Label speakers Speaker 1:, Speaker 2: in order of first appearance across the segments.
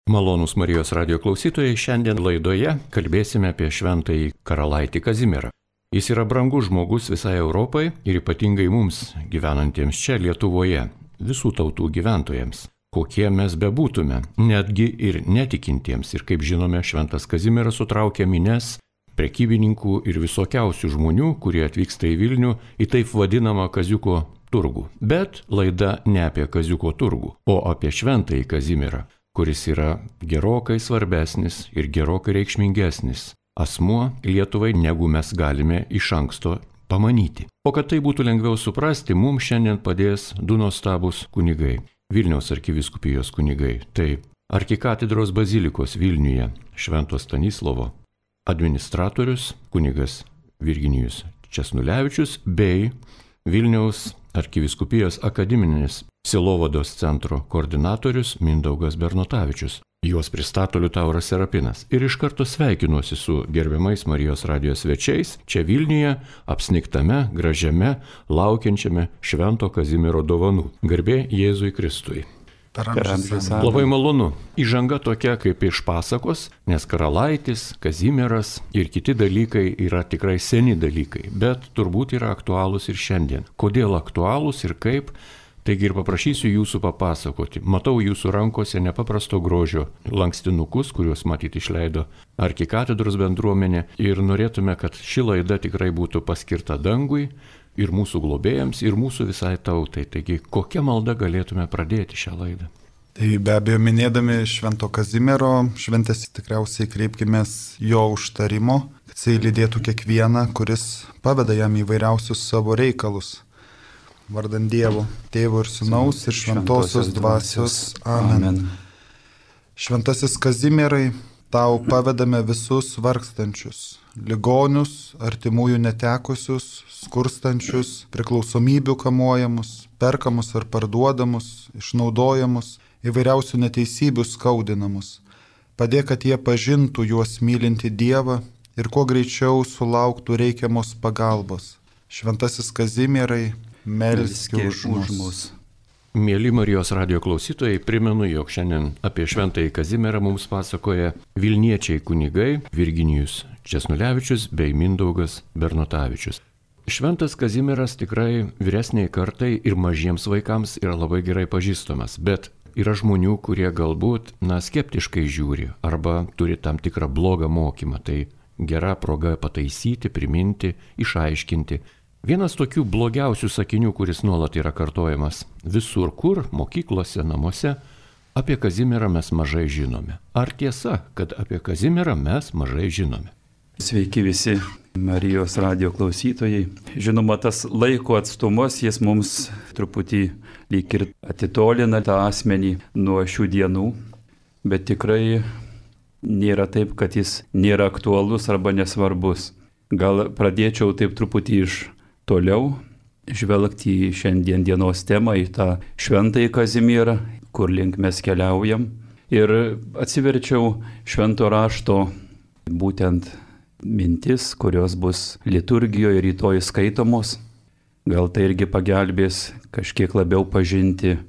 Speaker 1: Malonūs Marijos radio klausytojai, šiandien laidoje kalbėsime apie šventąjį karalaitį Kazimierą. Jis yra brangus žmogus visai Europai ir ypatingai mums, gyvenantiems čia Lietuvoje, visų tautų gyventojams. Kokie mes bebūtume, netgi ir netikintiems. Ir kaip žinome, šventas Kazimieras sutraukia mines, prekybininkų ir visokiausių žmonių, kurie atvyksta į Vilnių, į taip vadinamą Kaziuko turgų. Bet laida ne apie Kaziuko turgų, o apie šventąjį Kazimierą, kuris yra gerokai svarbesnis ir gerokai reikšmingesnis asmuo Lietuvai, negu mes galime iš anksto pamanyti. O kad tai būtų lengviau suprasti, mums šiandien padės du nuostabūs kunigai, Vilniaus arkivyskupijos kunigai. Tai arkikatedros bazilikos Vilniuje Švento Stanislovo administratorius kunigas Virginijus Česnulevičius bei Vilniaus arkivyskupijos akademinės sielovados centro koordinatorius Mindaugas Bernotavičius. Juos pristato Liutauras Serapinas. Ir iš karto sveikinuosi su gerbiamais Marijos radijos svečiais čia Vilniuje, apsnigtame, gražiame, laukiančiame Švento Kazimiero dovanų. Garbė Jėzui Kristui. Labai malonu. Įžanga tokia kaip iš pasakos, nes karalaitis, Kazimieras ir kiti dalykai yra tikrai seni dalykai, bet turbūt yra aktualūs ir šiandien. Kodėl aktualūs ir kaip? Taigi ir paprašysiu jūsų papasakoti. Matau jūsų rankose nepaprasto grožio lankstinukus, kuriuos matyt išleido arkikatedros bendruomenė, ir norėtume, kad ši laida tikrai būtų paskirta dangui ir mūsų globėjams, ir mūsų visai tautai. Taigi, kokią maldą galėtume pradėti šią laidą?
Speaker 2: Tai be abejo, minėdami Švento Kazimiero šventės, tikriausiai kreipkimės jo užtarimo, kad jisai lydėtų kiekvieną, kuris paveda jam įvairiausius savo reikalus. Vardant Dievo, Tėvo ir Sūnaus ir Šventosios Dvasios. Amen. Šventasis Kazimierai, tau pavedame visus vargstančius, ligonius, artimųjų netekusius, skurstančius, priklausomybių kamuojamus, perkamus ar parduodamus, išnaudojamus, įvairiausių neteisybių skaudinamus. Padėk, kad jie pažintų juos mylinti Dievą ir kuo greičiau sulauktų reikiamos pagalbos. Šventasis Kazimierai, melski už mus.
Speaker 1: Mėly Marijos radio klausytojai, primenu, jog šiandien apie šventąjį Kazimierą mums pasakoja vilniečiai kunigai Virginijus Česnulevičius bei Mindaugas Bernotavičius. Šventas Kazimieras tikrai vyresniai kartai ir mažiems vaikams yra labai gerai pažįstamas, bet yra žmonių, kurie galbūt skeptiškai žiūri arba turi tam tikrą blogą mokymą. Tai gera proga pataisyti, priminti, išaiškinti. Vienas tokių blogiausių sakinių, kuris nuolat yra kartojamas visur kur, mokyklose, namuose, apie Kazimierą mes mažai žinome. Ar tiesa, kad apie Kazimierą mes mažai žinome?
Speaker 3: Sveiki visi Marijos radio klausytojai. Žinoma, tas laiko atstumas, jis mums truputį lyg ir atitolina tą asmenį nuo šių dienų, bet tikrai nėra taip, kad jis nėra aktualus arba nesvarbus. Gal pradėčiau taip truputį iš toliau žvelgti į šiandien dienos temą, į tą šventąjį Kazimierą, kur link mes keliaujam. Ir atsiverčiau švento rašto būtent mintis, kurios bus liturgijoje rytoj skaitomos. Gal tai irgi pagelbės kažkiek labiau pažinti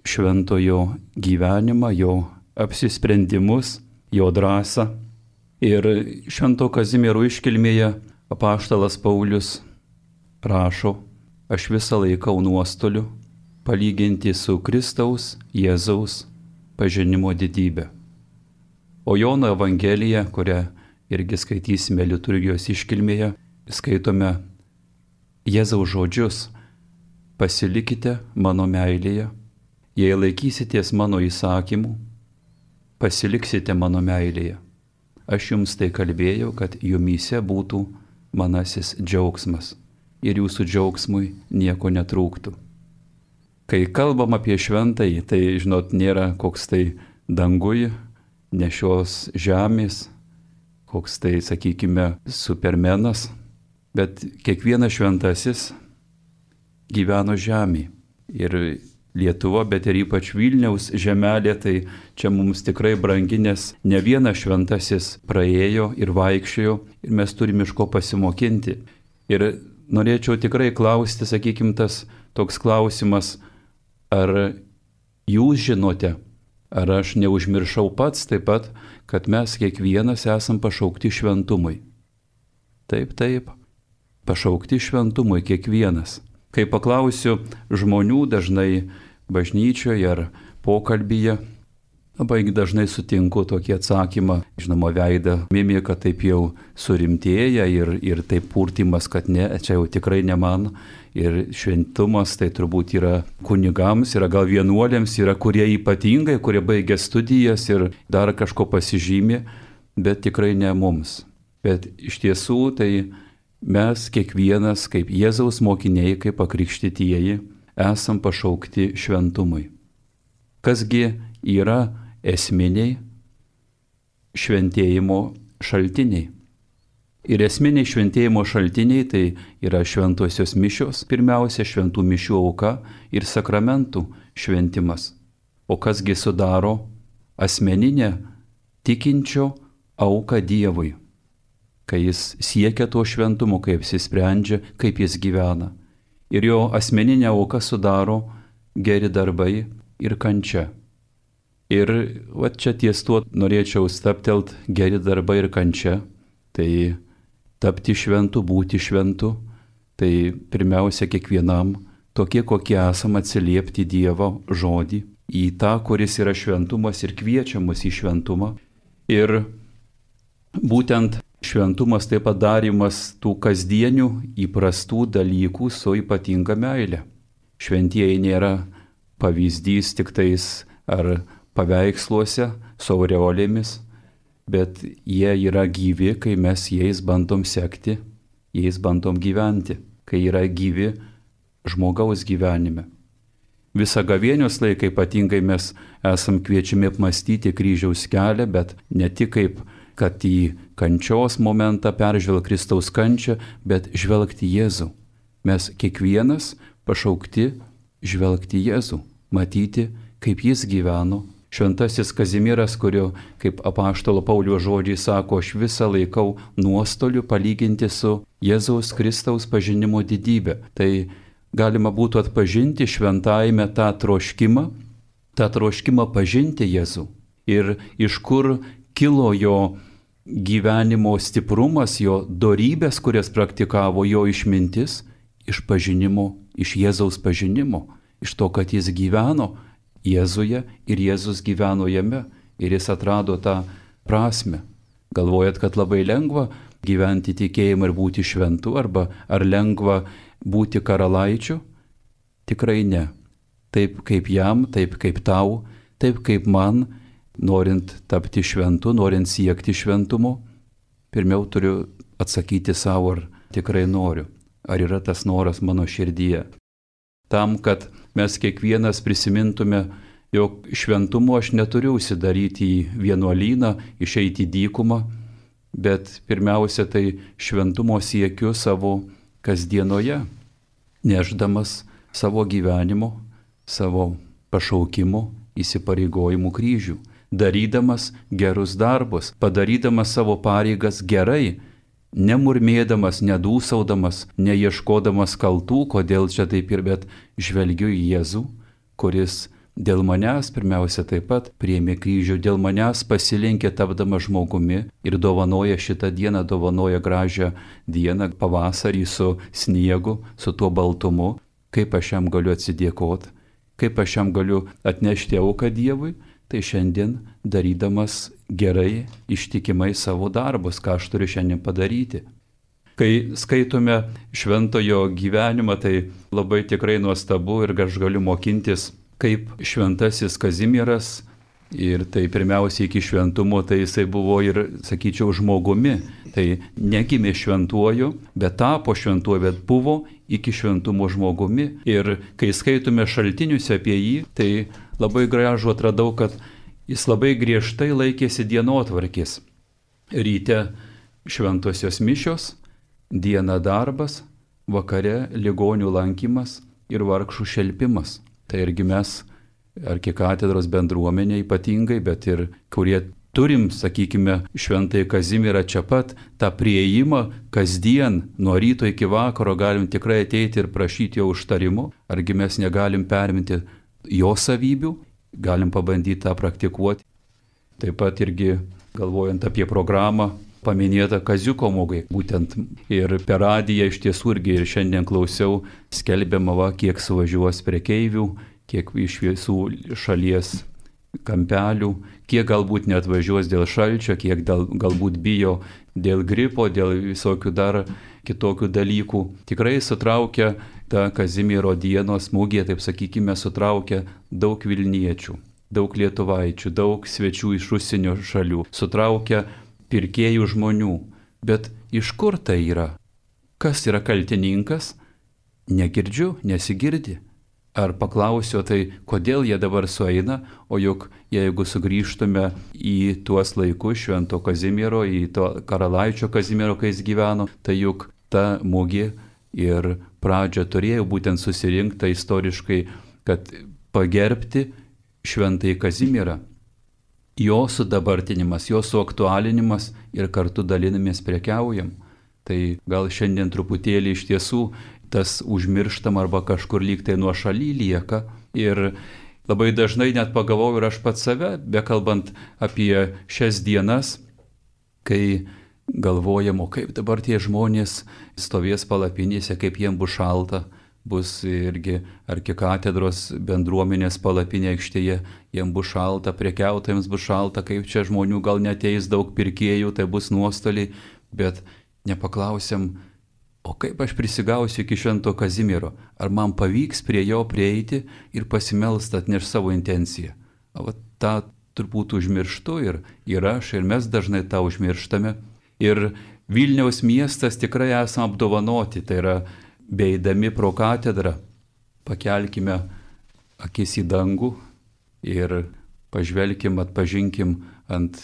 Speaker 3: šventojo gyvenimą, jo apsisprendimus, jo drąsą. Ir švento Kazimiero iškilmėje apaštalas Paulius rašo: aš visą laikau nuostoliu palyginti su Kristaus Jėzaus pažinimo didybę. O Jono Evangelija, kurią irgi skaitysime liturgijos iškilmėje, skaitome Jėzaus žodžius: pasilikite mano meilėje, jei laikysitės mano įsakymų, pasiliksite mano meilėje. Aš jums tai kalbėjau, kad jumyse būtų manasis džiaugsmas ir jūsų džiaugsmui nieko netrūktų. Kai kalbam apie šventąjį, tai, žinot, nėra koks tai dangui, ne šios žemės, koks tai, sakykime, supermenas, bet kiekvienas šventasis gyveno žemėje. Ir Lietuva, bet ir ypač Vilniaus žemelė, tai čia mums tikrai brangi, nes ne vienas šventasis praėjo ir vaikščiojo ir mes turime iš ko pasimokinti. Ir norėčiau tikrai klausti, sakykime, tas toks klausimas, ar jūs žinote, Ar aš neužmiršau pats taip pat, kad mes kiekvienas esam pašaukti šventumui? Taip, pašaukti šventumui kiekvienas. Kai paklausiu žmonių dažnai bažnyčioje ar pokalbyje, labai dažnai sutinku tokį atsakymą, žinoma, veidą mimika taip jau surimtėja ir taip purtimas, kad ne, čia jau tikrai ne man. Ir šventumas tai turbūt yra kunigams, yra gal vienuolėms, yra kurie ypatingai, kurie baigia studijas ir dar kažko pasižymė, bet tikrai ne mums. Bet iš tiesų tai mes kiekvienas kaip Jėzaus mokiniai, kaip pakrikštytieji, esam pašaukti šventumui. Kasgi yra esminiai šventėjimo šaltiniai? Ir esminiai šventėjimo šaltiniai tai yra šventosios mišios, pirmiausia šventų mišių auka ir sakramentų šventimas. O kasgi sudaro asmeninę tikinčio auką Dievui, kai jis siekia to šventumo, kaip jis sprendžia, kaip jis gyvena. Ir jo asmeninę auką sudaro geri darbai ir kančia. Ir čia ties tuo norėčiau staptelt, geri darbai ir kančia. Tai tapti šventu, būti šventu, tai pirmiausia kiekvienam tokie, kokie esam, atsiliepti Dievo žodį, į tą, kuris yra šventumas ir kviečia mus į šventumą. Ir būtent šventumas taip pat darymas tų kasdienių įprastų dalykų su ypatinga meile. Šventieji nėra pavyzdys tik tais ar paveiksluose su aureolėmis, bet jie yra gyvi, kai mes jais bandom sekti, jais bandom gyventi, kai yra gyvi žmogaus gyvenime. Visą gavėnios laiką ypatingai mes esam kviečiami apmastyti kryžiaus kelią, bet ne tik kaip, kad į kančios momentą peržvelgti Kristaus kančią, bet žvelgti Jėzų. Mes kiekvienas pašaukti žvelgti Jėzų, matyti, kaip jis gyveno. Šventasis Kazimieras, kurio, kaip apaštalo Pauliaus žodžiai sako, aš visą laikau nuostoliu palyginti su Jėzaus Kristaus pažinimo didybė. Tai galima būtų atpažinti šventajame tą troškimą pažinti Jėzų. Ir iš kur kilo jo gyvenimo stiprumas, jo dorybės, kurias praktikavo, jo išmintis, iš pažinimo, iš Jėzaus pažinimo, iš to, kad jis gyveno Jėzuje ir Jėzus gyveno jame ir jis atrado tą prasme. Galvojat, kad labai lengva gyventi tikėjimą ir būti šventu, ar lengva būti karalaičiu? Tikrai ne. Taip kaip jam, taip kaip tau, taip kaip man, norint tapti šventu, norint siekti šventumo, pirmiau turiu atsakyti savo, ar tikrai noriu, ar yra tas noras mano širdyje. Tam, kad mes kiekvienas prisimintume, jog šventumo aš neturiu užsidaryti į vienuolyną, išeiti į dykumą, bet pirmiausia tai šventumo siekiu savo kasdienoje, nešdamas savo gyvenimo, savo pašaukimo, įsipareigojimų kryžių, darydamas gerus darbus, padarydamas savo pareigas gerai, nemurmėdamas, nedūsaudamas, neieškodamas kaltų, kodėl čia taip ir, bet žvelgiu į Jėzų, kuris dėl manęs pirmiausia taip pat priėmė kryžių, dėl manęs pasilenkė tapdamas žmogumi ir dovanoja šitą dieną, dovanoja gražią dieną, pavasarį su sniegu, su tuo baltumu. Kaip aš jam galiu atsidėkoti, kaip aš jam galiu atnešti auką Dievui, tai šiandien darydamas gerai, ištikimai savo darbus, ką aš turiu šiandien padaryti. Kai skaitome šventojo gyvenimą, tai labai tikrai nuostabu ir aš galiu mokintis, kaip šventasis Kazimieras, ir tai pirmiausia iki šventumo, tai jisai buvo ir, sakyčiau, žmogumi. Tai negimė šventuoju, bet tapo šventuoju, bet buvo iki šventumo žmogumi. Ir kai skaitome šaltinius apie jį, tai labai gražu atradau, kad jis labai griežtai laikėsi dienotvarkės. Ryte šventosios mišios, dieną darbas, vakare ligonių lankymas ir vargšų šelpimas. Tai irgi mes, arkikatedros bendruomenė ypatingai, bet ir kurie turim, sakykime, šventąjį Kazimierą čia pat, tą prieėjimą kasdien, nuo ryto iki vakaro galim tikrai ateiti ir prašyti jo užtarimo, argi mes negalim perminti jo savybių galim pabandyti tą praktikuoti. Taip pat irgi galvojant apie programą, paminėta Kaziuko mugė. Būtent ir per radiją iš tiesų irgi ir šiandien klausiau, skelbiama, kiek suvažiuos prekeivių, kiek iš visų šalies kampelių, kiek galbūt net važiuos dėl šalčio, kiek galbūt bijo dėl gripo, dėl visokių dar kitokių dalykų. Tikrai sutraukia ta Kazimiero dienos mugė, taip sakykime, sutraukia daug Vilniečių, daug lietuvaičių, daug svečių iš užsienio šalių, sutraukia pirkėjų žmonių. Bet iš kur tai yra? Kas yra kaltininkas? Negirdžiu, nesigirdi. Ar paklausiu, tai kodėl jie dabar sueina, o juk jeigu sugrįžtume į tuos laikus Švento Kazimiero, į to karalaičio Kazimiero, kai jis gyveno, tai juk ta mugė ir pradžia turėjo būtent susirinkta istoriškai, kad pagerbti Šventąjį Kazimierą. Jo sudabartinimas, jo suaktualinimas ir kartu dalinamės prekiaujam. Tai gal šiandien truputėlį iš tiesų tas užmirštam arba kažkur lyg tai nuo šaly lieka. Ir labai dažnai net pagalvoju ir aš pats save, bekalbant apie šias dienas, kai galvojam, o kaip dabar tie žmonės stovės palapinėse, kaip jiems bus šalta, bus irgi arkikatedros bendruomenės palapinė aikštėje, jiems bus šalta, prekiautojams bus šalta, kaip čia žmonių gal neteis daug pirkėjų, tai bus nuostoliai, bet nepaklausiam, o kaip aš prisigausiu iki Švento Kazimiero, ar man pavyks prie jo prieiti ir pasimelst atneš savo intenciją. O tą turbūt užmirštu ir aš, ir mes dažnai tą užmirštame. Ir Vilniaus miestas tikrai esame apdovanoti, tai yra beeidami pro katedrą, pakelkime akis į dangų ir pažvelkim, atpažinkim ant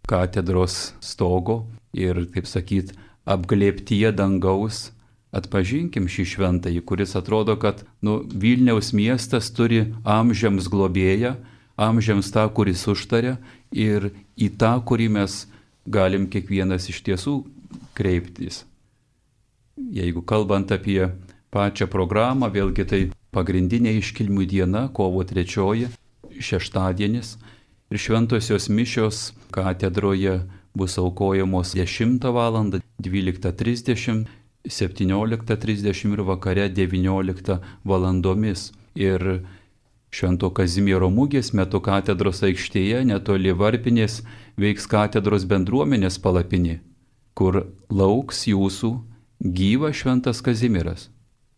Speaker 3: katedros stogo ir, taip sakyt, apglėptyje dangaus atpažinkim šį šventąjį, kuris atrodo, kad Vilniaus miestas turi amžiams globėją, amžiams tą, kuris užtaria ir į tą, kurį mes galim kiekvienas iš tiesų kreiptis. Jeigu kalbant apie pačią programą, vėlgi tai pagrindinė iškilmių diena, kovo 3, šeštadienis ir šventosios mišios katedroje bus aukojamos 10 val., 12:30, 17:30 ir vakare 19 valandomis. Ir Švento Kazimiero mugės metu katedros aikštėje netoli varpinės veiks katedros bendruomenės palapinė, kur lauks jūsų gyvas Šventas Kazimieras.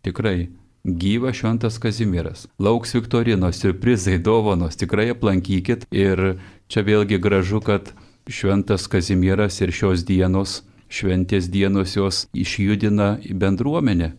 Speaker 3: Tikrai gyvas Šventas Kazimieras. Lauks viktorinos, siurprizai, dovanos, tikrai aplankykit. Ir čia vėlgi gražu, kad Šventas Kazimieras ir šios dienos, šventės dienos jos išjudina į bendruomenę.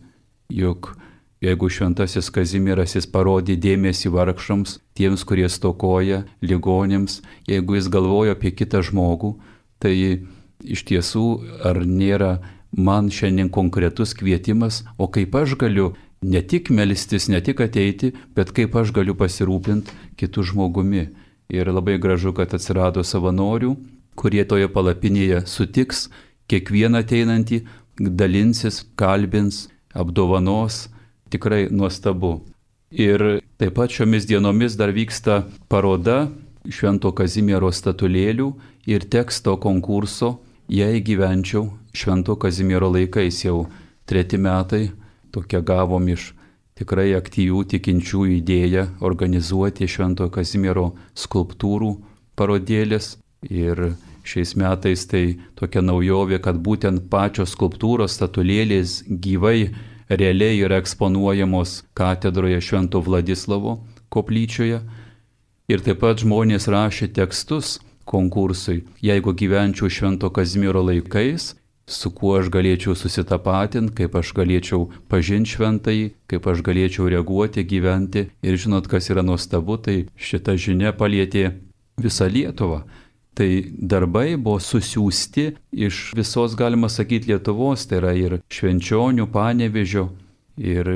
Speaker 3: Juk jeigu Šventasis Kazimieras jis parodė dėmesį vargšams, tiems, kurie stokoja, ligonėms, jeigu jis galvoja apie kitą žmogų, tai iš tiesų ar nėra man šiandien konkretus kvietimas, o kaip aš galiu ne tik melstis, ne tik ateiti, bet kaip aš galiu pasirūpinti kitų žmogumi. Ir labai gražu, kad atsirado savanorių, kurie toje palapinėje sutiks kiekvieną ateinantį, dalinsis, kalbins, apdovanos, tikrai nuostabu. Ir taip pat šiomis dienomis dar vyksta paroda Švento Kazimiero statulėlių ir teksto konkurso Jei gyvenčiau Švento Kazimiero laikais. Jau 3 metai tokia gavom iš tikrai aktyvių tikinčiųjų idėją organizuoti Švento Kazimiero skulptūrų parodėlės. Ir šiais metais tai tokia naujovė, kad būtent pačios skulptūros statulėlės gyvai, realiai yra eksponuojamos katedroje Švento Vladislavo koplyčioje. Ir taip pat žmonės rašė tekstus konkursui. Jeigu gyvenčiau Švento Kazimiero laikais, su kuo aš galėčiau susitapatinti, kaip aš galėčiau pažinti šventąjį, kaip aš galėčiau reaguoti, gyventi. Ir žinot, kas yra nuostabu, tai šita žinia palietė visą Lietuvą. Tai darbai buvo susiųsti iš visos, galima sakyti, Lietuvos, tai yra ir Švenčionių, Panevėžio, ir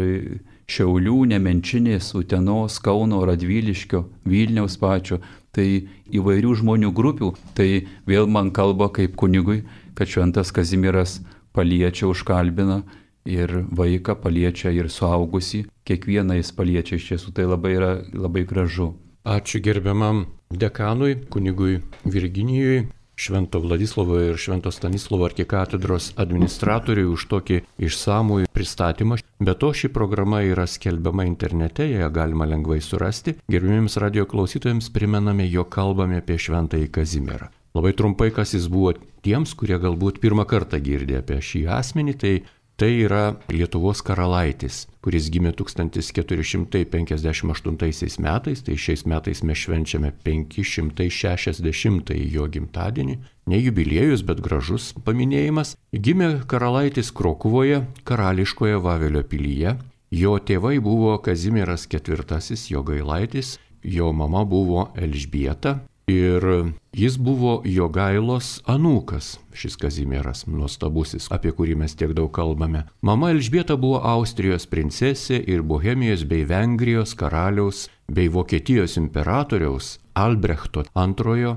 Speaker 3: Šiaulių, Nemenčinės, Utenos, Kauno, Radviliškio, Vilniaus pačio, tai įvairių žmonių grupių. Tai vėl man kalba kaip kunigui, kad Šventas Kazimieras paliečia, užkalbina ir vaiką paliečia ir suaugusį, kiekvieną jis paliečia, iš tiesų tai labai yra labai gražu.
Speaker 1: Ačiū gerbiamam dekanui, kunigui Virginijui, Švento Vladislovo ir Švento Stanislovo arkikatedros administratoriui už tokį išsamų pristatymą. Be to, ši programa yra skelbiama internete, ją galima lengvai surasti. Gerbimiems radio klausytojams primename, jog kalbame apie Šventąjį Kazimierą. Labai trumpai, kas jis buvo tiems, kurie galbūt pirmą kartą girdė apie šį asmenį, tai yra Lietuvos karalaitis, kuris gimė 1458 metais, tai šiais metais mes švenčiame 560 jo gimtadienį, ne jubiliejus, bet gražus paminėjimas. Gimė karalaitis Krokuvoje, karališkoje Vavelio pilyje, jo tėvai buvo Kazimieras IV Jogailaitis, jo mama buvo Elžbieta. Ir jis buvo Jogailos anūkas, šis Kazimieras nuostabusis, apie kurį mes tiek daug kalbame. Mama Elžbieta buvo Austrijos princesė ir Bohemijos bei Vengrijos karaliaus bei Vokietijos imperatoriaus Albrechto II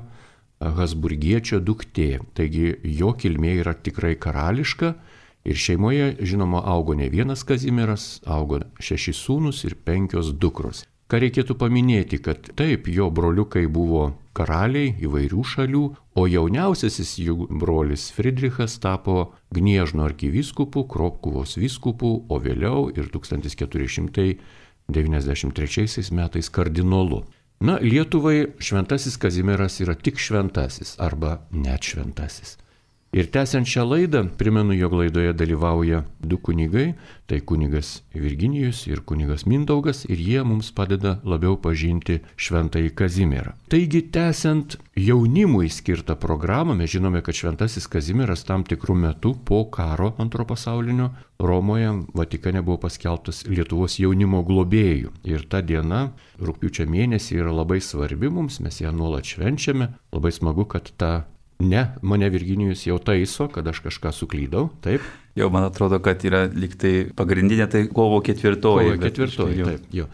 Speaker 1: Habsburgiečio duktė. Taigi jo kilmė yra tikrai karališka ir šeimoje, žinoma, augo ne vienas Kazimieras, augo 6 sūnus ir 5 dukros. Ką reikėtų paminėti, kad taip, jo broliukai buvo karaliai įvairių šalių, o jauniausiasis jų brolis Friedrichas tapo Gniežno arkivyskupu, Krokuvos vyskupu, o vėliau ir 1493 metais kardinolu. Na, Lietuvai Šventasis Kazimieras yra tik šventasis arba net šventasis. Ir tęsiant šią laidą, primenu, jog laidoje dalyvauja 2 kunigai, tai kunigas Virginijus ir kunigas Mindaugas, ir jie mums padeda labiau pažinti Šventąjį Kazimierą. Taigi, tęsiant jaunimui skirtą programą, mes žinome, kad Šventasis Kazimieras tam tikrų metų po karo Antrojo pasaulinio Romoje, Vatikane buvo paskelbtas Lietuvos jaunimo globėjų. Ir ta diena, rugpjūčio mėnesį, yra labai svarbi mums, mes ją nuolat švenčiame. Labai smagu, kad mane Virginijus jau taiso, kad aš kažką suklydau, taip?
Speaker 3: Jau man atrodo, kad yra liktai pagrindinė, tai kovo 4.
Speaker 1: Kovo 4, taip, jo.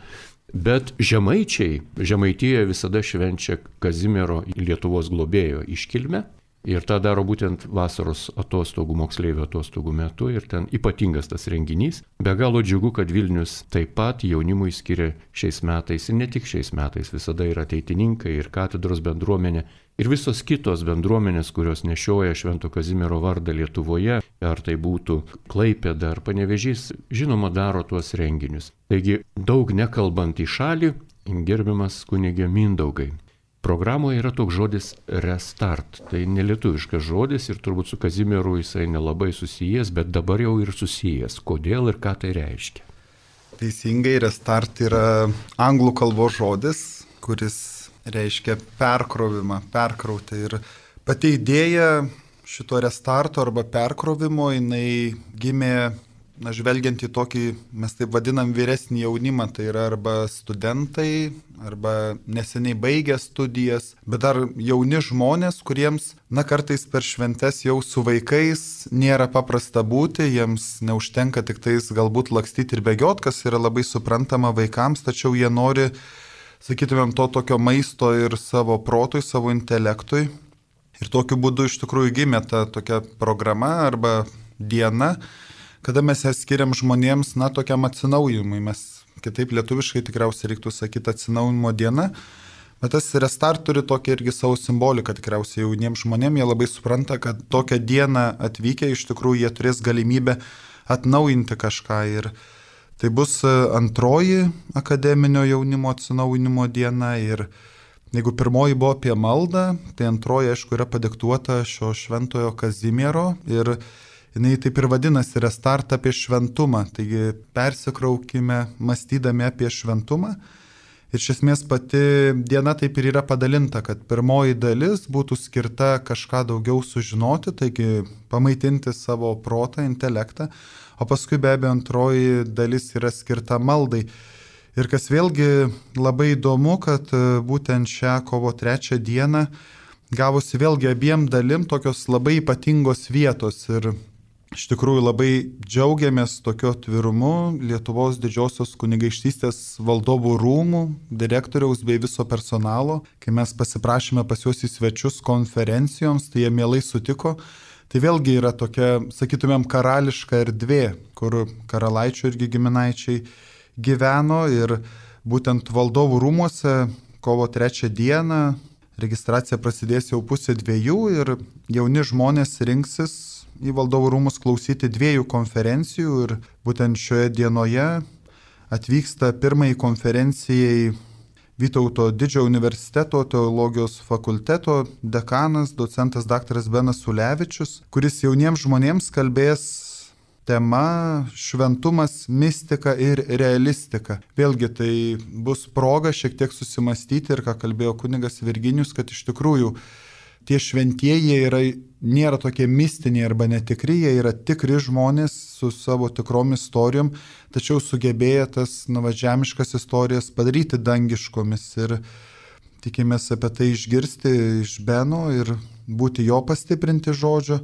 Speaker 1: Bet Žemaitijoje visada švenčia Kazimiero Lietuvos globėjo iškilmę. Ir tą daro būtent vasaros atostogų, moksleivių atostogų metu, ir ten ypatingas tas renginys. Be galo džiugu, kad Vilnius taip pat jaunimui skiria šiais metais, ir ne tik šiais metais, visada yra ateitininkai ir katedros bendruomenė, ir visos kitos bendruomenės, kurios nešioja Švento Kazimiero vardą Lietuvoje, ar tai būtų Klaipėda ar Panevėžys, žinoma, daro tuos renginius. Taigi, daug nekalbant į šalį, gerbiamas kunige Mindaugai. Programoje yra toks žodis restart, tai nelietuviškas žodis ir turbūt su Kazimieru jisai nelabai susijęs, bet dabar jau ir susijęs. Kodėl ir ką tai reiškia?
Speaker 2: Teisingai, restart yra anglų kalbos žodis, kuris reiškia perkrovimą, perkrauti. Ir pati idėja šito restarto arba perkrovimo, jinai gimė, žvelgiant į tokį, mes taip vadinam, vyresnį jaunimą, tai yra arba studentai, arba neseniai baigę studijas, bet dar jauni žmonės, kuriems, kartais per šventes jau su vaikais nėra paprasta būti, jiems neužtenka tik tais galbūt lakstyti ir bėgiot, kas yra labai suprantama vaikams, tačiau jie nori, sakytumėm, to tokio maisto ir savo protui, savo intelektui. Ir tokiu būdu iš tikrųjų gimė ta tokia programa arba diena, kada mes ją skiriam žmonėms, tokiam atsinaujimui. Mes kitaip lietuviškai tikriausiai reiktų sakyti atsinaujimo diena, bet tas restart turi tokią irgi savo simboliką tikriausiai jauniems žmonėms. Jie labai supranta, kad tokią dieną atvykę iš tikrųjų jie turės galimybę atnaujinti kažką. Ir tai bus antroji akademinio jaunimo atsinaujinimo diena. Ir jeigu pirmoji buvo apie maldą, tai antroji, aišku, yra padiktuota šio Šventojo Kazimiero ir jinai taip ir vadinasi restart apie šventumą, taigi persikraukime mąstydami apie šventumą. Ir iš esmės pati diena taip ir yra padalinta, kad pirmoji dalis būtų skirta kažką daugiau sužinoti, taigi pamaitinti savo protą, intelektą, o paskui be abejo antroji dalis yra skirta maldai. Ir kas vėlgi labai įdomu, kad būtent šią kovo 3 dieną gavosi vėlgi abiem dalim tokios labai ypatingos vietos ir iš tikrųjų labai džiaugiamės tokio atvirumu Lietuvos Didžiosios kunigaikštystės valdovų rūmų, direktoriaus bei viso personalo. Kai mes pasiprašėme pas juos į svečius konferencijoms, tai jie mielai sutiko. Tai vėlgi yra tokia, sakytumėm, karališka erdvė, kur karalaičių irgi giminaičiai gyveno ir būtent valdovų rūmuose kovo 3 dieną. Registracija prasidės jau 1:30 ir jauni žmonės rinksis į Valdovų rūmus klausyti 2 konferencijų ir būtent šioje dienoje atvyksta pirmai konferencijai Vytauto Didžiojo universiteto teologijos fakulteto dekanas, docentas dr. Benas Ulevičius, kuris jauniems žmonėms kalbės tema šventumas, mistika ir realistika. Vėlgi tai bus proga šiek tiek susimastyti ir ką kalbėjo kunigas Virginijus, kad iš tikrųjų tie šventieji nėra tokie mistiniai arba netikri, jie yra tikri žmonės su savo tikrom istorijom, tačiau sugebėję tas žemiškas istorijas padaryti dangiškomis ir tikimės apie tai išgirsti iš Beno ir būti jo pastiprinti žodžio.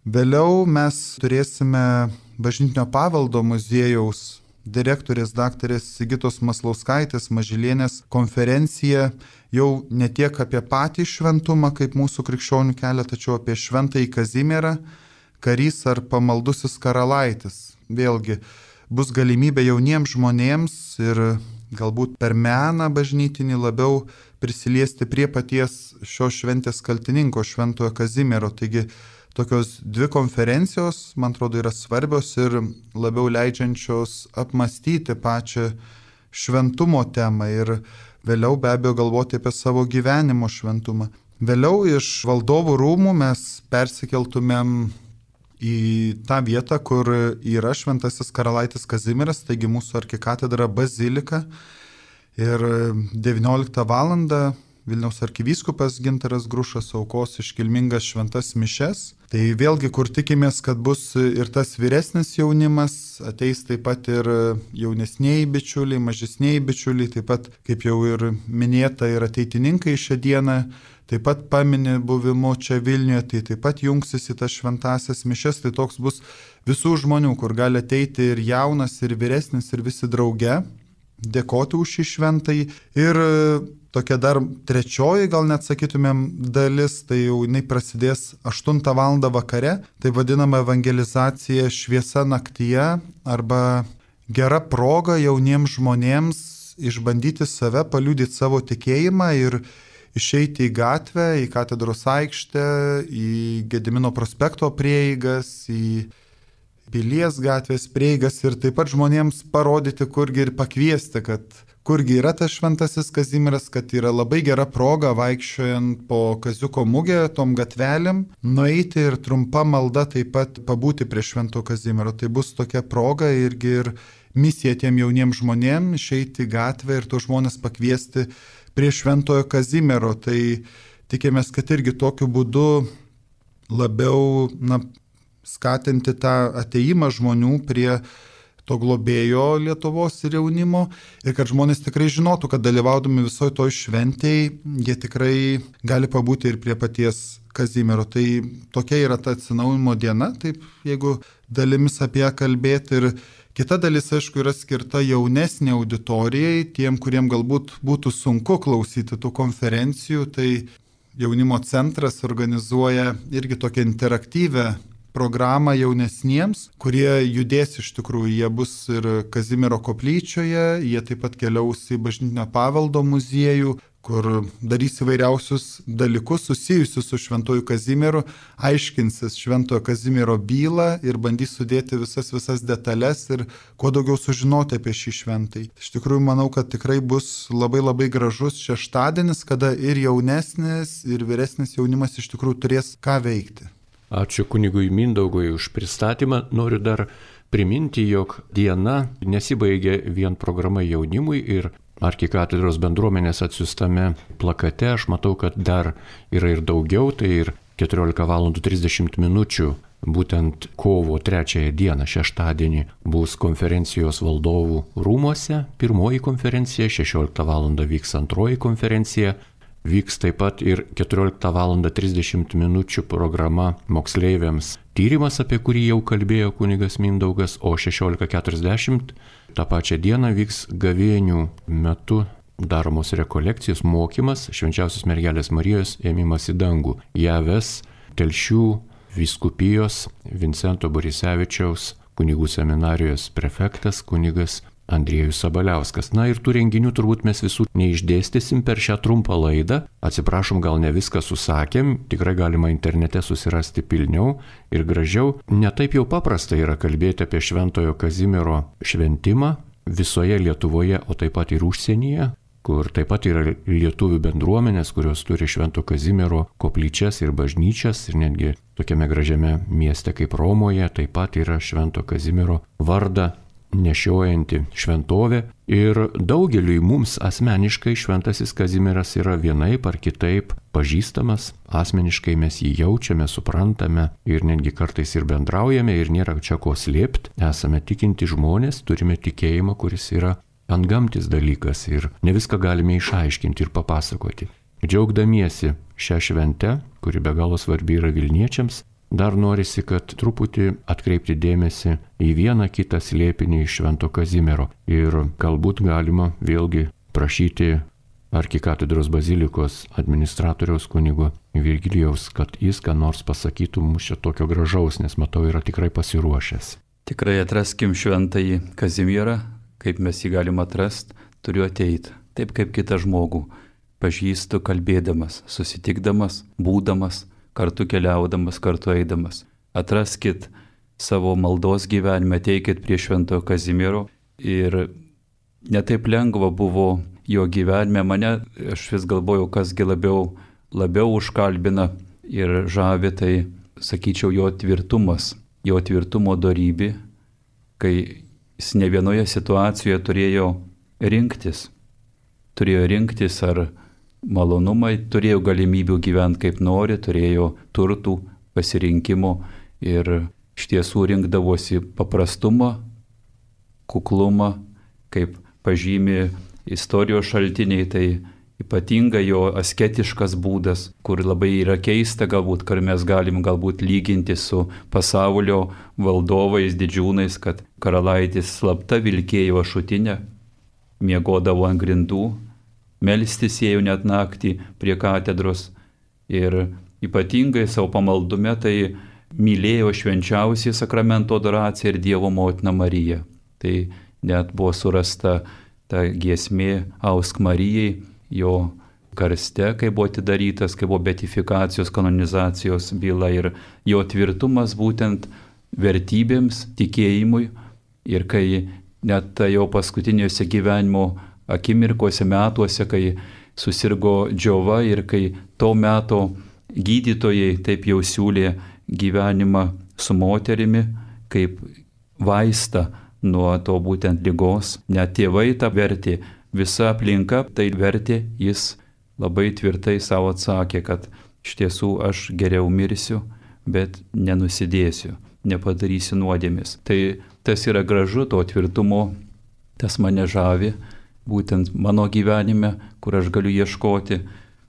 Speaker 2: Vėliau mes turėsime Bažnytinio paveldo muziejaus direktorės daktarės Sigitos Maslauskaitės Mažylienės konferenciją jau ne tiek apie patį šventumą kaip mūsų krikščionių kelią, tačiau apie šventąjį Kazimierą, karys ar pamaldusis karalaitis. Vėlgi bus galimybė jauniems žmonėms ir galbūt per meną bažnytinį labiau prisiliesti prie paties šios šventės kaltininko, šventojo Kazimiero. Taigi tokios 2 konferencijos, man atrodo, yra svarbios ir labiau leidžiančios apmastyti pačią šventumo temą ir vėliau be abejo galvoti apie savo gyvenimo šventumą. Vėliau iš Valdovų rūmų mes persikeltumėm į tą vietą, kur yra šventasis karalaitis Kazimieras, taigi mūsų arkikatedra bazilika. Ir 19 val. Vilniaus arkivyskupas Gintaras Grušas aukos iškilmingas šventas mišes. Tai vėlgi, kur tikimės, kad bus ir tas vyresnis jaunimas, ateis taip pat ir jaunesniai bičiuliai, mažesniai bičiuliai, taip pat, kaip jau ir minėta, ir ateitininkai šią dieną taip pat pamini buvimu čia Vilniuje, tai taip pat jungsis į tas šventasias mišes. Tai toks bus visų žmonių, kur gali ateiti ir jaunas, ir vyresnis, ir visi drauge, dėkoti už šį šventąjį. Ir tokia dar 3, gal net sakytumėm, dalis, tai jau jinai prasidės 8 val. Vakare, tai vadinama evangelizacija šviesa naktyje arba gera proga jauniems žmonėms išbandyti save, paliudyti savo tikėjimą ir išeiti į gatvę, į katedros aikštę, į Gedimino prospekto prieigas, į Pilies gatvės prieigas ir taip pat žmonėms parodyti, kurgi ir pakviesti, kad kurgi yra tas šventasis Kazimieras, kad yra labai gera proga vaikščiojant po Kaziuko mugę, tom gatvelėm, nueiti ir trumpa malda taip pat pabūti prie švento Kazimiero. Tai bus tokia proga irgi ir misija tiem jauniems žmonėms išeiti į gatvę ir tuos žmonės pakviesti prie šventojo Kazimiero. Tai tikimės, kad irgi tokiu būdu labiau skatinti tą ateimą žmonių prie to globėjo Lietuvos ir jaunimo ir kad žmonės tikrai žinotų, kad dalyvaudami visoje toj šventėje jie tikrai gali pabūti ir prie paties Kazimiero. Tai tokia yra ta atsinaujinimo diena, taip jeigu dalimis apie ją kalbėti. Ir kita dalis, aišku, yra skirta jaunesnė auditorijai, tiem, kuriem galbūt būtų sunku klausyti tų konferencijų. Tai jaunimo centras organizuoja irgi tokią interaktyvę programą jaunesniems, kurie judės iš tikrųjų. Jie bus ir Kazimiero koplyčioje, jie taip pat keliaus į Bažnytinio paveldo muziejų, kur darys įvairiausius dalykus susijusius su šventoju Kazimieru, aiškinsis šventojo Kazimiero bylą ir bandys sudėti visas detalės ir kuo daugiau sužinoti apie šį šventąjį. Iš tikrųjų, manau, kad tikrai bus labai gražus šeštadienis, kada ir jaunesnis, ir vyresnis jaunimas iš tikrųjų turės ką veikti.
Speaker 1: Ačiū kunigui Mindaugui už pristatymą. Noriu dar priminti, jog diena nesibaigia vien programa jaunimui ir arkikatedros bendruomenės atsiųstame plakate. Aš matau, kad dar yra ir daugiau, tai ir 14:30 min. Būtent kovo 3 dieną, šeštadienį, bus konferencijos Valdovų rūmuose. Pirmoji konferencija, 16 val. Vyks antroji konferencija. Vyks taip pat ir 14:30 min. Programa moksleiviams tyrimas, apie kurį jau kalbėjo kunigas Mindaugas, o 16:40 tą pačią dieną vyks gavėnių metu daromos rekolekcijos, mokymas Švenčiausios Mergelės Marijos ėmimas į dangų. Ją ves Telšių vyskupijos Vincento Borisevičiaus kunigų seminarijos prefektas kunigas Andriejus Sabaliauskas. Na ir tų renginių turbūt mes visų neišdėstysim per šią trumpą laidą. Atsiprašom, gal ne viską susakėm, tikrai galima internete susirasti pilniau ir gražiau. Netaip jau paprasta yra kalbėti apie Šventojo Kazimiero šventimą visoje Lietuvoje, o taip pat ir užsienyje, kur taip pat yra lietuvių bendruomenės, kurios turi Švento Kazimiero koplyčias ir bažnyčias, ir netgi tokiame gražiame mieste kaip Romoje taip pat yra Švento Kazimiero vardą nešiojanti šventovė. Ir daugeliui mums asmeniškai Šventasis Kazimieras yra vienaip ar kitaip pažįstamas, asmeniškai mes jį jaučiame, suprantame ir netgi kartais ir bendraujame ir nėra čia ko slėpti. Esame tikinti žmonės, turime tikėjimą, kuris yra antgamtis dalykas ir ne viską galime išaiškinti ir papasakoti. Džiaugdamiesi šią šventę, kuri be galo svarbi yra vilniečiams, dar norisi, kad truputį atkreipti dėmesį į vieną kitą slėpinį iš Švento Kazimiero ir galbūt galima vėlgi prašyti arkikatedros bazilikos administratoriaus kunigo Virgilijaus, kad jis ką nors pasakytų mums čia tokio gražaus, nes matau yra tikrai pasiruošęs.
Speaker 3: Tikrai atraskim Šventąjį Kazimierą, kaip mes jį galim atrasti, turiu ateiti, taip kaip kitą žmogų, pažįstu kalbėdamas, susitikdamas, būdamas, kartu keliaudamas, kartu eidamas. Atraskit savo maldos gyvenime, ateikit prie Šventojo Kazimiero ir netaip lengva buvo jo gyvenime. Mane, aš vis galvojau, kasgi labiau užkalbina ir žavi, tai sakyčiau jo tvirtumas, jo tvirtumo dorybė, kai jis ne vienoje situacijoje turėjo rinktis ar malonumai, turėjo galimybių gyventi kaip nori, turėjo turtų, pasirinkimo ir iš tiesų rinkdavosi paprastumą, kuklumą, kaip pažymi istorijos šaltiniai, tai ypatinga jo asketiškas būdas, kur labai yra keista galbūt, kur mes galim galbūt lyginti su pasaulio valdovais, didžiūnais, kad karalaitis slapta vilkėjo ašutinę, miegodavo ant grindų, melstis ėjo net naktį prie katedros ir ypatingai savo pamaldume tai mylėjo švenčiausią sakramento adoraciją ir Dievo motiną Mariją. Tai net buvo surasta ta giesmė Ausk Marijai jo karste, kai buvo atidarytas, kai buvo beatifikacijos, kanonizacijos byla ir jo tvirtumas būtent vertybėms, tikėjimui ir kai net tai jo paskutiniuose gyvenimo akimirkose, metuose, kai susirgo džiova ir kai to meto gydytojai taip jau siūlė gyvenimą su moterimi kaip vaistą nuo to būtent ligos. Net tėvai tą vertė, visa aplinka tai vertė, jis labai tvirtai savo atsakė, kad iš tiesų aš geriau mirsiu, bet nenusidėsiu, nepadarysiu nuodėmės. Tai tas yra gražu, to tvirtumo, tas mane žavi, būtent mano gyvenime, kur aš galiu ieškoti.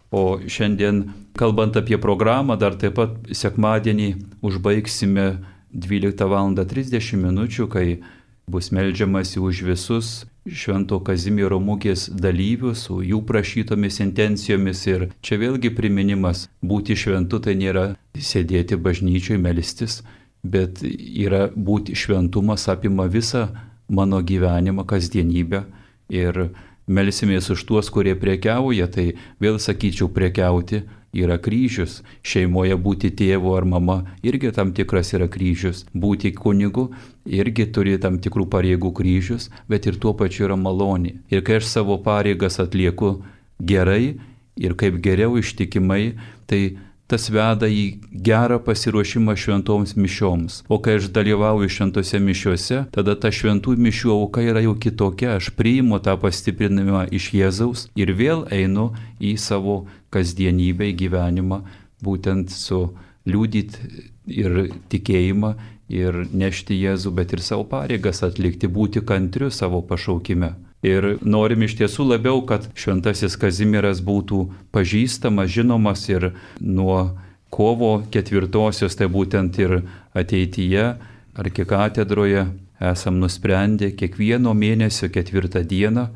Speaker 3: O šiandien, kalbant apie programą, dar taip pat sekmadienį užbaigsime 12:30 min, kai bus meldžiamasi už visus Švento Kazimiero mugės dalyvius, su jų prašytomis intencijomis. Ir čia vėlgi priminimas, būti šventu tai nėra sėdėti bažnyčioje, melstis, bet yra būti šventumas apima visą mano gyvenimą, kasdienybę. Ir melsimės už tuos, kurie prekiauja, tai vėl sakyčiau, prekiauti yra kryžius. Šeimoje būti tėvu ar mama irgi tam tikras yra kryžius. Būti kunigu irgi turi tam tikrų pareigų kryžius, bet ir tuo pačiu yra malonė. Ir kai aš savo pareigas atlieku gerai ir kaip geriau ištikimai, tai tas veda į gerą pasiruošimą šventoms mišioms. O kai aš dalyvauju šventose mišiuose, tada ta šventų mišių auka yra jau kitokia. Aš priimu tą pastiprinimą iš Jėzaus ir vėl einu į savo kasdienybę, į gyvenimą, būtent su liudyti ir tikėjimą ir nešti Jėzų, bet ir savo pareigas atlikti, būti kantriu savo pašaukime. Ir norim iš tiesų labiau, kad Šventasis Kazimieras būtų pažįstamas, žinomas ir nuo kovo 4-osios, tai būtent ir ateityje arkikatedroje esam nusprendę kiekvieno mėnesio 4 dieną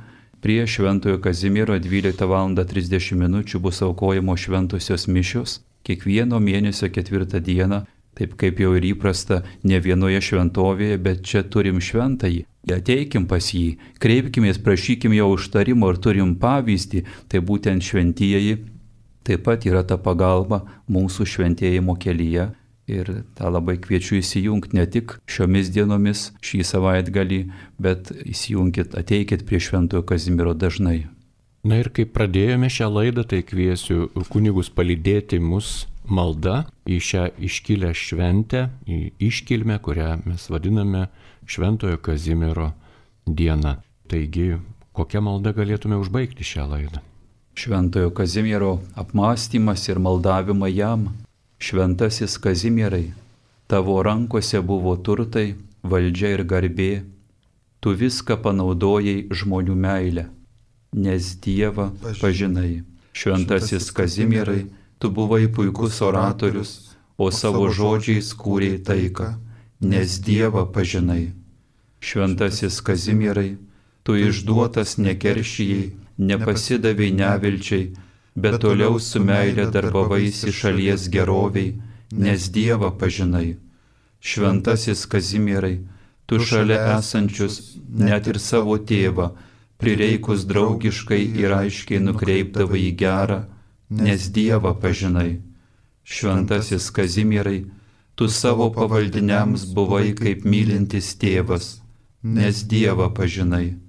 Speaker 3: prie Šventojo Kazimiero 12:30 min bus aukojamos šventosios mišios. Kiekvieno mėnesio 4 dieną Taip kaip jau ir įprasta, ne vienoje šventovėje, bet čia turim šventąjį. Ateikim pas jį, kreipkimės, prašykim jo užtarimo ir turim pavyzdį, tai būtent šventieji taip pat yra ta pagalba mūsų šventėjimo kelyje. Ir tą labai kviečiu įsijungti ne tik šiomis dienomis, šį savaitgalį, bet įsijunkit, ateikit prie Šventojo Kazimiero dažnai.
Speaker 1: Na ir kaip pradėjome šią laidą, tai kviesiu kunigus palydėti mus malda į šią iškilę šventę, į iškilmę, kurią mes vadiname Šventojo Kazimiero diena. Taigi, kokią maldą galėtume užbaigti šią laidą?
Speaker 3: Šventojo Kazimiero apmąstymas ir maldavimą jam. Šventasis Kazimierai, tavo rankose buvo turtai, valdžia ir garbė, tu viską panaudojai žmonių meilę, nes Dievą pažinai. Šventasis Kazimierai, tu buvai puikus oratorius, o savo žodžiais kūrei taiką, nes Dievą pažinai. Šventasis Kazimierai, tu išduotas nekeršijai, nepasidavei nevilčiai, bet toliau su meilė darbavaisi šalies geroviai, nes Dievą pažinai. Šventasis Kazimierai, tu šalia esančius, net ir savo tėvą, prireikus draugiškai ir aiškiai nukreipdavai į gerą, nes Dievą pažinai. Šventasis Kazimierai, tu savo pavaldiniams buvai kaip mylintis tėvas, nes Dievą pažinai.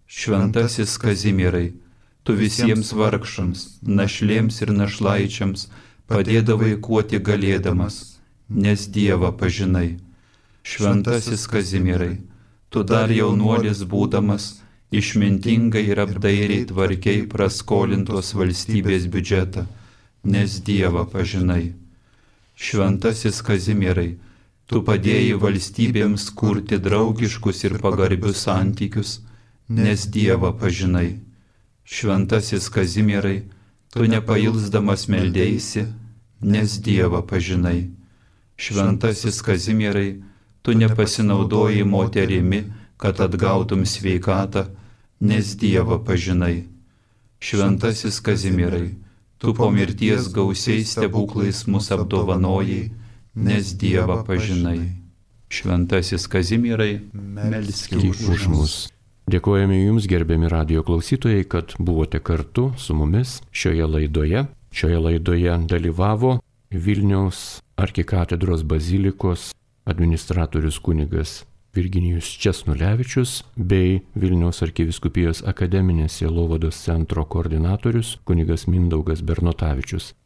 Speaker 3: Šventasis Kazimierai, tu visiems vargšams, našlėms ir našlaičiams padėdavai kuo tik galėdamas, nes Dievą pažinai. Šventasis Kazimierai, tu dar jaunuolis būdamas, išmintingai ir apdairiai tvarkiai praskolintos valstybės biudžetą, nes Dievą pažinai. Šventasis Kazimierai, tu padėjai valstybėms kurti draugiškus ir pagarbius santykius, nes Dievą pažinai. Šventasis Kazimierai, tu nepailsdamas meldėsi, nes Dievą pažinai. Šventasis Kazimierai, tu nepasinaudojai moterimi, kad atgautum sveikatą, nes Dievą pažinai. Šventasis Kazimierai, tu po mirties gausiais stebuklais mus apdovanojai, nes Dievą pažinai. Šventasis Kazimierai, melskite už mus.
Speaker 1: Dėkojame Jums, gerbiami radijo klausytojai, kad buvote kartu su mumis šioje laidoje. Šioje laidoje dalyvavo Vilniaus arkikatedros bazilikos administratorius kunigas Virginijus Česnulevičius bei Vilniaus arkivyskupijos akademinės sielovados centro koordinatorius kunigas Mindaugas Bernotavičius.